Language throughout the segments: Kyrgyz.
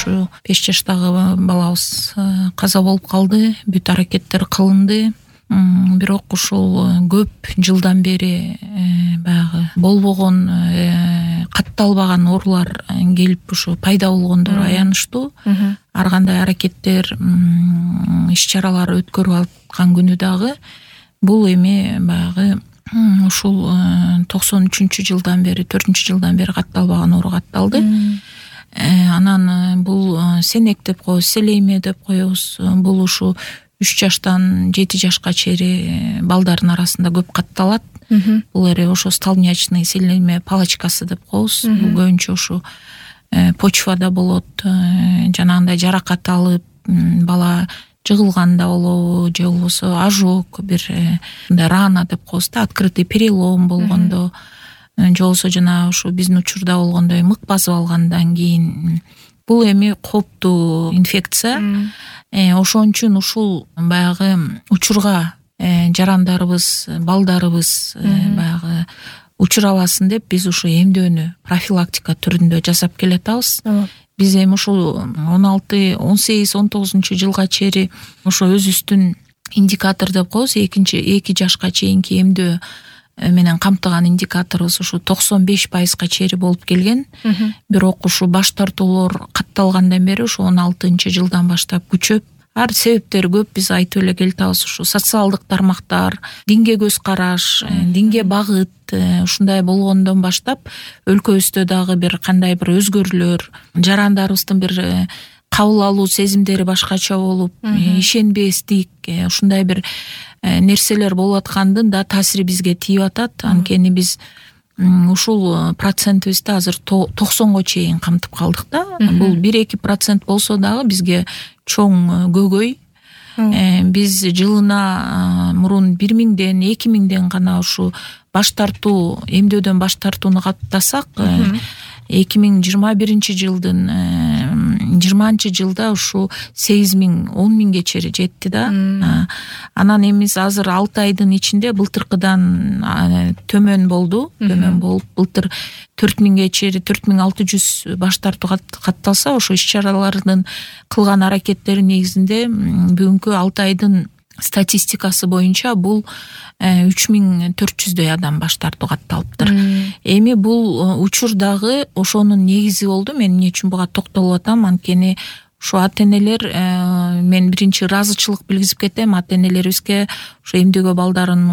ушу 5 жаштагы балабыз каза болуп калды. Бүт аракеттер кылынды. Бирок ушул көп жылдан бери баягы болбогон, катталбаган оорулар келип ушу пайда болгондору аянычтуу. Ар кандай аракеттер, иш-чаралар өткөрүп аткан күнү дагы бул эми баягы ушул 93-жылдан бери, 4-жылдан бери катталбаган оору катталды. Анан бул сенек деп коебуз, селейме деп коебуз. Бул ушу 3 жаштан 7 жашка чейин балдардын арасында көп катталат. Бул ошо столбнячный селейме палочкасы деп коебуз. Бул көбүнчө ушу почвада болот. Жанагындай жаракат алып, бала жыгылганда болобу, же болбосо ожог, бир мындай рана деп коебуз да, открытый перелом болгондо, же болбосо жана ушу биздин учурда болгондой мык басып алгандан кийин. Бул эми кооптуу инфекция. Ошон үчүн ушул баягы учурга жарандарыбыз, балдарыбыз баягы учурабасын деп биз ушу эмдөөнү профилактика түрүндө жасап келатабыз. Биз эми ушул 16, 18, 19 жылга чейин ошо өзүбүздүн индикатор деп коебуз, 2 жашка чейинки эмдөө менен камтыган индикаторубуз ушу 95%га чейин болуп келген. Бирок ушу баш тартуулар катталгандан бери ушу 16 жылдан баштап күчөп, ар себептери көп, биз айтып эле келатабыз. Ушу социалдык тармактар, динге көз караш, динге багыт ушундай болгондон баштап өлкөбүздө дагы бир кандай бир өзгөрүүлөр, жарандарыбыздын бир кабыл алуу сезимдери башкача болуп, ишенбестик, ушундай бир нерселер болуп аткандын да таасири бизге тийип атат. Анткени биз ушул процентибизди азыр 90го чейин камтып калдык да. Бул 1-2% болсо дагы бизге чоң көйгөй. Биз жылына мурун 1000ден 2000ден гана ушу баш тартуу, эмдөөдөн баш тартууну каттасак, 2021-жылдын 20-жылда ушу 8000, 10000ге чейин жетти да. Анан эми азыр 6 айдын ичинде былтыркыдан төмөн болду. Төмөн болуп, былтыр 4000ге чейин 4600 баш тартуу катталса, ошо иш-чаралардын кылган аракеттери негизинде бүгүнкү 6 айдын статистикасы боюнча бул 3400дөй адам баш тартуу катталыптыр. Эми бул учур дагы ошонун негизи болду. Мен эмне үчүн буга токтолуп атам? Анткени ушу ата-энелер, мен биринчи ыраазычылык билгизип кетем ата-энелерибизге, ушу эмдөөгө балдарын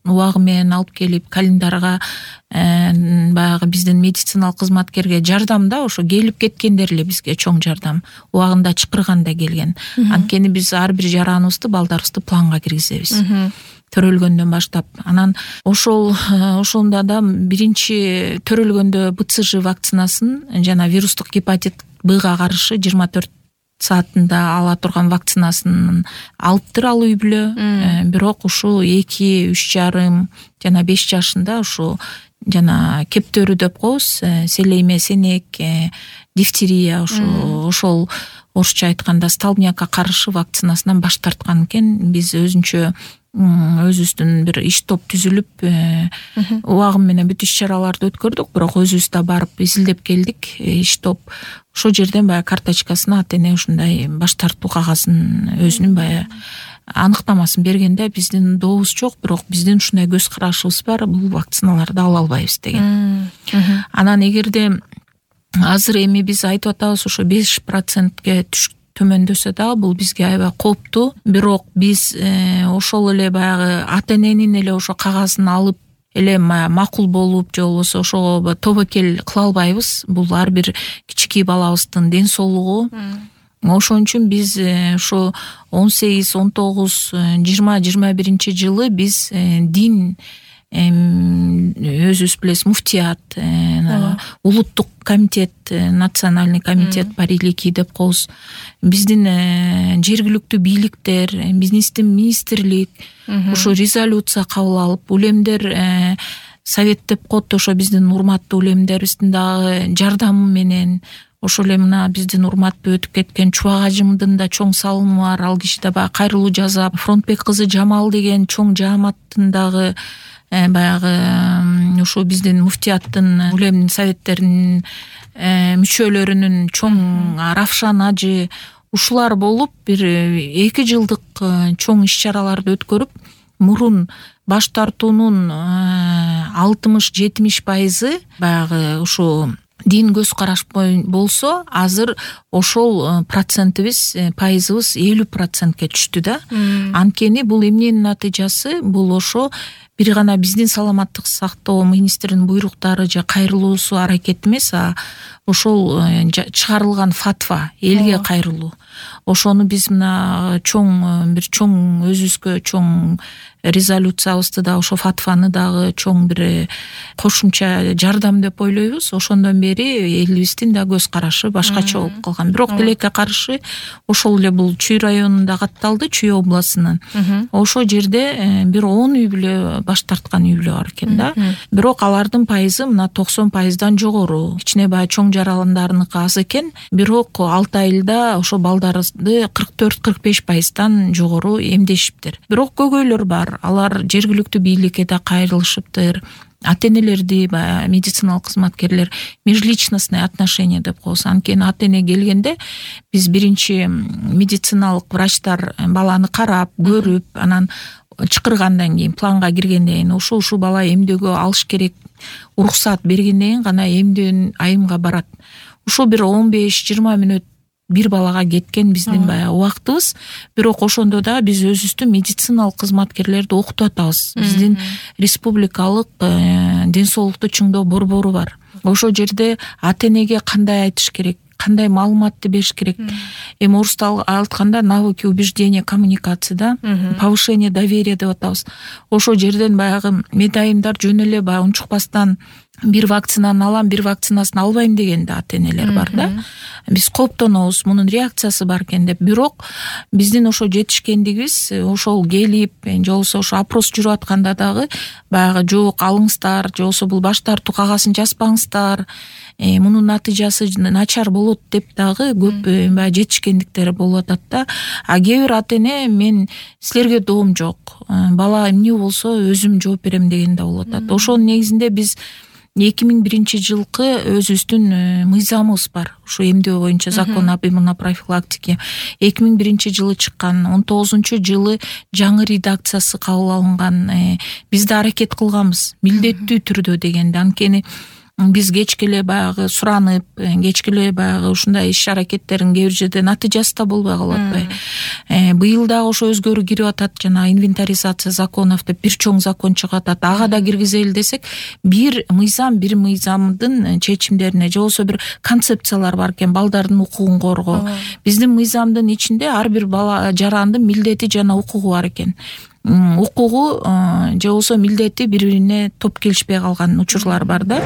убагы менен алып келип, календарга баягы биздин медициналык кызматкерге жардам да, ошо келип кеткендер эле бизге чоң жардам, убагында чакырганда келген. Анткени биз ар бир жараныбызды, балдарыбызды планга киргизебиз. Төрөлгөндөн баштап. Анан ошондо да биринчи төрөлгөндө БЦЖ вакцинасын жана вирустук гепатит Б-га каршы 24 саатында ала турган вакцинасын алыптыр ал үй бүлө. Бирок ушу 2, 3,5 жана 5 жашында ушу жана кептөрү деп коебуз, селейме, сенек, дифтерия, ошол орусча айтканда столбнякка каршы вакцинасынан баш тарткан экен. Биз өзүбүздүн бир иш топ түзүлүп, убагы менен бүт иш-чараларды өткөрдүк, бирок өзүбүз да барып изилдеп келдик. Иш топ ошол жерден баягы карточкасына ата-эне ушундай баш тартуу кагазын өзүнүн баягы аныктамасын бергенде, биздин дообуз жок, бирок биздин ушундай көз карашыбыз бар, бул вакциналарды ала албайбыз деген. Анан эгерде азыр эми биз айтып атабыз, ошо 5%ге төмөндөсө дагы бул бизге аябай кооптуу. Бирок биз ошол эле баягы ата-эненин эле ошо кагазын алып эле макул болуп, же болбосо ошого тобокел кыла албайбыз. Бул ар бир кичинекей балабыздын ден соолугу. Ошон үчүн биз ошо 18, 19, 20, 21 жылы биз дин өзүбүз билесиз, муфтият, улуттук комитет, национальный комитет парилики деп коебуз, биздин жергиликтүү бийликтер, биздин министрлик ошо резолюция кабыл алып, улемдер совет деп коет, ошо биздин урматтуу улемдерибиздин дагы жардамы менен, ошол эле мына биздин урматтуу өтүп кеткен Чубак ажымдын да чоң салымы бар. Ал киши да баягы кайрылуу жасап, Фронтбек кызы Жамал деген чоң жааматтын дагы баягы ушу биздин муфтияттын улем советтеринин мүчөлөрүнүн чоң Равшан ажы ушулар болуп бир 2 жылдык чоң иш-чараларды өткөрүп, мурун баш тартуунун 60-70% баягы ушу дин көз караш болсо, азыр ошол процентибиз, пайызыбыз 50%ке түштү да. Анткени бул эмненин натыйжасы? Бул ошо бир гана биздин саламаттык сактоо министринин буйруктары же кайрылуусу аракет эмес, ошол чыгарылган фатва элге кайрылуу. Ошону биз мына бир чоң өзүбүзгө чоң резолюциябызды да, ошо фатваны дагы чоң бир кошумча жардам деп ойлойбуз. Ошондон бери элибиздин да көз карашы башкача болуп калган. Бирок тилекке каршы ошол эле бул Чүй районунда катталды, Чүй областынын. Ошол жерде бир 10 үй бүлө баш тарткан үй бүлө бар экен да. Бирок алардын пайызы мына 90%дан жогору. Кичине баягы чоң жараландарыныкы аз экен. Бирок 6 айылда ошо балдарыбызды 44-45%дан жогору эмдешиптир. Бирок көйгөйлөр бар. Алар жергиликтүү бийликке да кайрылышыптыр. Ата-энелерди, медициналык кызматкерлер межличностное отношение деп коебуз. Анткени ата-эне келгенде биз биринчи медициналык врачтар баланы карап, көрүп, анан чакыргандан кийин, планга киргенден кийин ушу бала эмдөөгө алыш керек, уруксат бергенден кийин гана эмдөө айымга барат. Ушул бир 15-20 мүнөт бир балага кеткен биздин баягы убактыбыз. Бирок ошондо да биз өзүбүздүн медициналык кызматкерлерди окутуп атабыз. Биздин республикалык ден соолукту чыңдоо борбору бар. Ошол жерде ата-энеге кандай айтыш керек, кандай маалыматты бериш керек. Эми орусча айтканда навыки убеждения коммуникации да, повышение доверия деп атабыз. Ошол жерден баягы медайымдар жөн эле баягы унчукпастан бир вакцинаны алам, бир вакцинасын албайм деген да ата-энелер бар да. Биз кооптонобуз, мунун реакциясы бар экен деп. Бирок биздин ошо жетишкендигибиз ошол келип, же болбосо ошо опрос жүрүп атканда дагы баягы жок алыңыздар, же болбосо бул баш тартуу кагасын жазбаңыздар, мунун натыйжасы начар болот деп дагы көп баягы жетишкендиктер болуп атат да. Кээ бир ата-эне мен силерге доом жок, бала эмне болсо өзүм жооп берем деген да болуп атат. Ошонун негизинде биз 2001 жылкы өзүбүздүн мыйзамыбыз бар. Ушу эмдөө боюнча закон об иммунопрофилактике 2001 жылы чыккан, 19 жылы жаңы редакциясы кабыл алынган. Биз да аракет кылганбыз милдеттүү түрдө дегенде. Анткени биз кечке эле баягы суранып, кечке эле баягы ушундай иш аракеттерин кээ бир жерде натыйжасы да болбой калып атпайбы. Быйыл дагы ошо өзгөрүү кирип атат, жана инвентаризация законов деп бир чоң закон чыгып атат. Ага да киргизели десек, бир мыйзамдын чечимдерине же болбосо бир концепциялар бар экен, балдардын укугун коргоо. Биздин мыйзамдын ичинде ар бир бала жарандын милдети жана укугу бар экен. Укугу же болбосо милдети бири-бирине топ келишпей калган учурлар бар да.